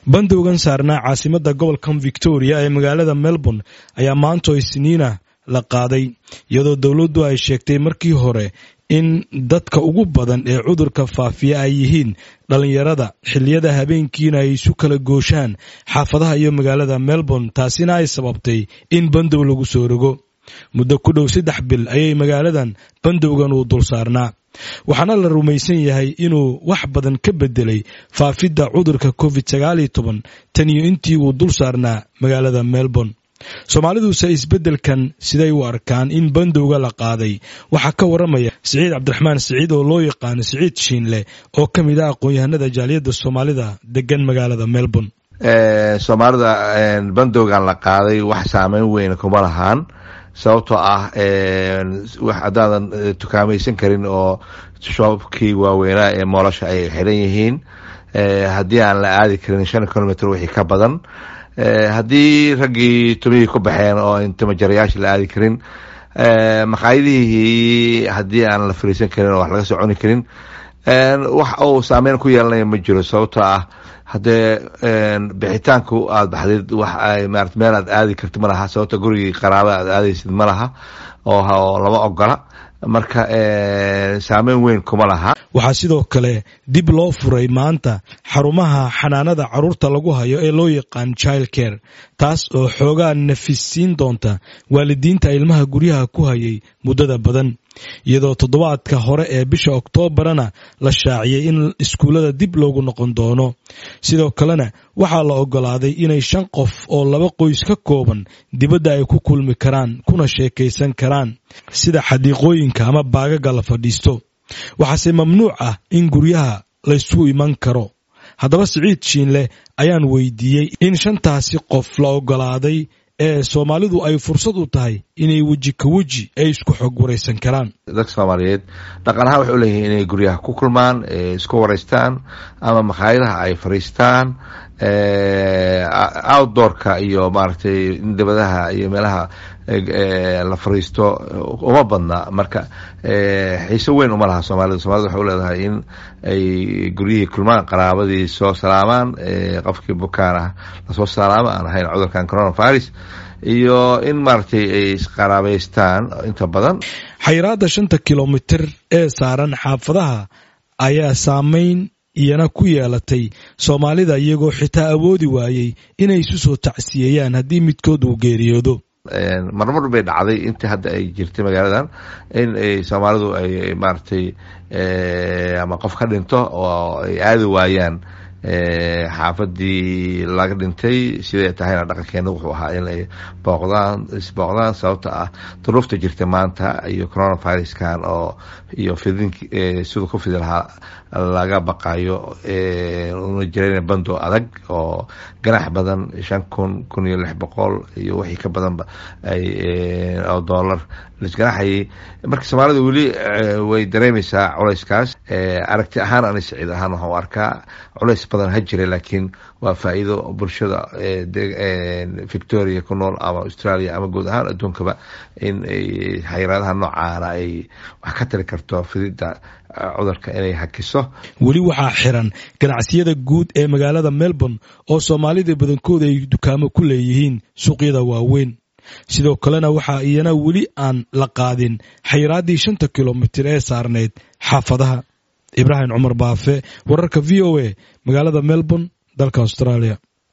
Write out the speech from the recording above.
Bandowgan saarnaa caasimadda gobolkan Victoria ee magaalada Melbourne ayaa maanto Isniina la qaaday, iyadoo dowladdu ay sheegtay markii hore in dadka ugu badan ee cudurka faafiya ay yihiin dhallinyarada, xilliyada habeenkiina ay isu kala gooshaan xaafadaha iyo magaalada Melbourne, taasina ay sababtay in bandow lagu soo rogo. Muddo ku dhow 3 bil ayay magaaladan bandowgan uu dul saarnaa, waxaana la rumaysan yahay inuu wax badan ka bedelay faafidda cudurka Covid-19 tan iyo intii uu dul saarnaa magaalada Melbourne. Soomaaliduse isbeddelkan siday u arkaan in bandowga la qaaday? Waxaa ka waramaya Siciid Cabdiraxmaan Siciid oo loo yaqaano Siciid Shiinle, oo ka mid ah aqoon-yahanada jaaliyadda Soomaalida degan magaalada Melbourne. Soomaalida bandowgan la qaaday wax saameyn weyn kuma lahaan, sababtoo ah wax haddaadan tukaamaysan karin oo shoobkii waaweynaa ee moolasha ay xiran yihiin, haddii aan la aadi karin 5 kilomitr wixii ka badan, haddii raggii tumihii ku baxeen oo intimajarayaasha la aadi karin, maqaayadihii haddii aan la fariisan karin oo wax laga soo cuni karin, wax uu saameyn ku yeelanaya ma jiro, sababtoo ah haddee bixitaanku aada baxdid wax ay maarata meel aad aadi karti ma laha, sababta gurigii qaraaba aad aadaysid ma laha oo lama ogola. Marka saameyn weyn kuma laha. Waxaa sidoo kale dib loo furay maanta xarumaha xanaanada carruurta lagu hayo ee loo yaqaan child care, taas oo xoogaa nafisiin doonta waalidiinta ilmaha guryaha ku hayay muddada badan, iyadoo toddobaadka hore ee bisha Oktoobarana la shaaciyey in iskuullada dib loogu noqon doono. Sidoo kalena waxaa la ogolaaday inay shan qof oo laba qoys ka kooban dibadda ay ku kulmi karaan kuna sheekaysan karaan, sida xadiiqooyinka ama baagaga la fadhiisto. Waxaase mamnuuc ah in guryaha laysu iman karo. Haddaba Siciid Shiinleh ayaan weydiiyey in shantaasi qof la ogolaaday ee Soomaalidu ay fursad u tahay inay weji ka weji ay isku xog waraysan karaan. Dadka Soomaaliyeed dhaqan ahaan waxay u leeyihiin inay guryaha ku kulmaan, isku waraystaan ama makhaayadaha ay fariistaan. Outdoorka iyo maaragtay in dibadaha iyo meelaha la fariisto uma badna. Marka xiise weyn uma laha Soomaalida. Soomaalida waxay u leedahay in ay guryihii kulmaan, qaraabadii soo salaamaan, qofkii bukaan ah lasoo salaamo aan ahayn cudurkan coronavirus, iyo in maaragtay ay isqaraabaystaan inta badan. Xayiraadda 5-ta kilomitir ee saaran xaafadaha ayaa saameyn iyana ku yeelatay Soomaalida, iyagoo xitaa awoodi waayey inay isu soo tacsiyeeyaan haddii midkood uu geeriyoodo. Marmar bay dhacday intii hadda ay jirtay magaaladan in ay Soomaalidu ay maaragtay ama qof ka dhinto oo ay aadi waayaan xaafadii laga dhintay. Siday tahayna dhaqankeena wuxuu ahaa in ay booqdaan, isbooqdaan, sababta ah duruufta jirta maanta iyo coronaviruskan oo iyo fidin siduu ku fidi lahaa laga baqayo, una jireen bando adag oo ganax badan, 5000, 1600 iyo wixii ka badanba ay oo dollar laisganaxayay. Marka Soomaalida weli way dareemeysaa culayskaas. Aragti ahaan ani Siciid ahaan waxaan u arkaa culays badan ha jira, laakiin waa faa'iido bulshada Victoria ku nool ama Australia ama guud ahaan adduunkaba in ay xayiraadaha noocaana ay wax ka tari karto fididda cudurka inay hakiso. Weli waxaa xiran ganacsiyada guud ee magaalada Melbourne oo Soomaalida badankooda ay dukaamo ku leeyihiin suuqyada waaweyn. Sidoo kalena waxaa iyana weli aan la qaadin xayiraaddii 5-ta kilomitir ee saarnayd xaafadaha. Ibraahim Cumar Baafe, wararka VOA, magaalada Melbourne, dalka Australia.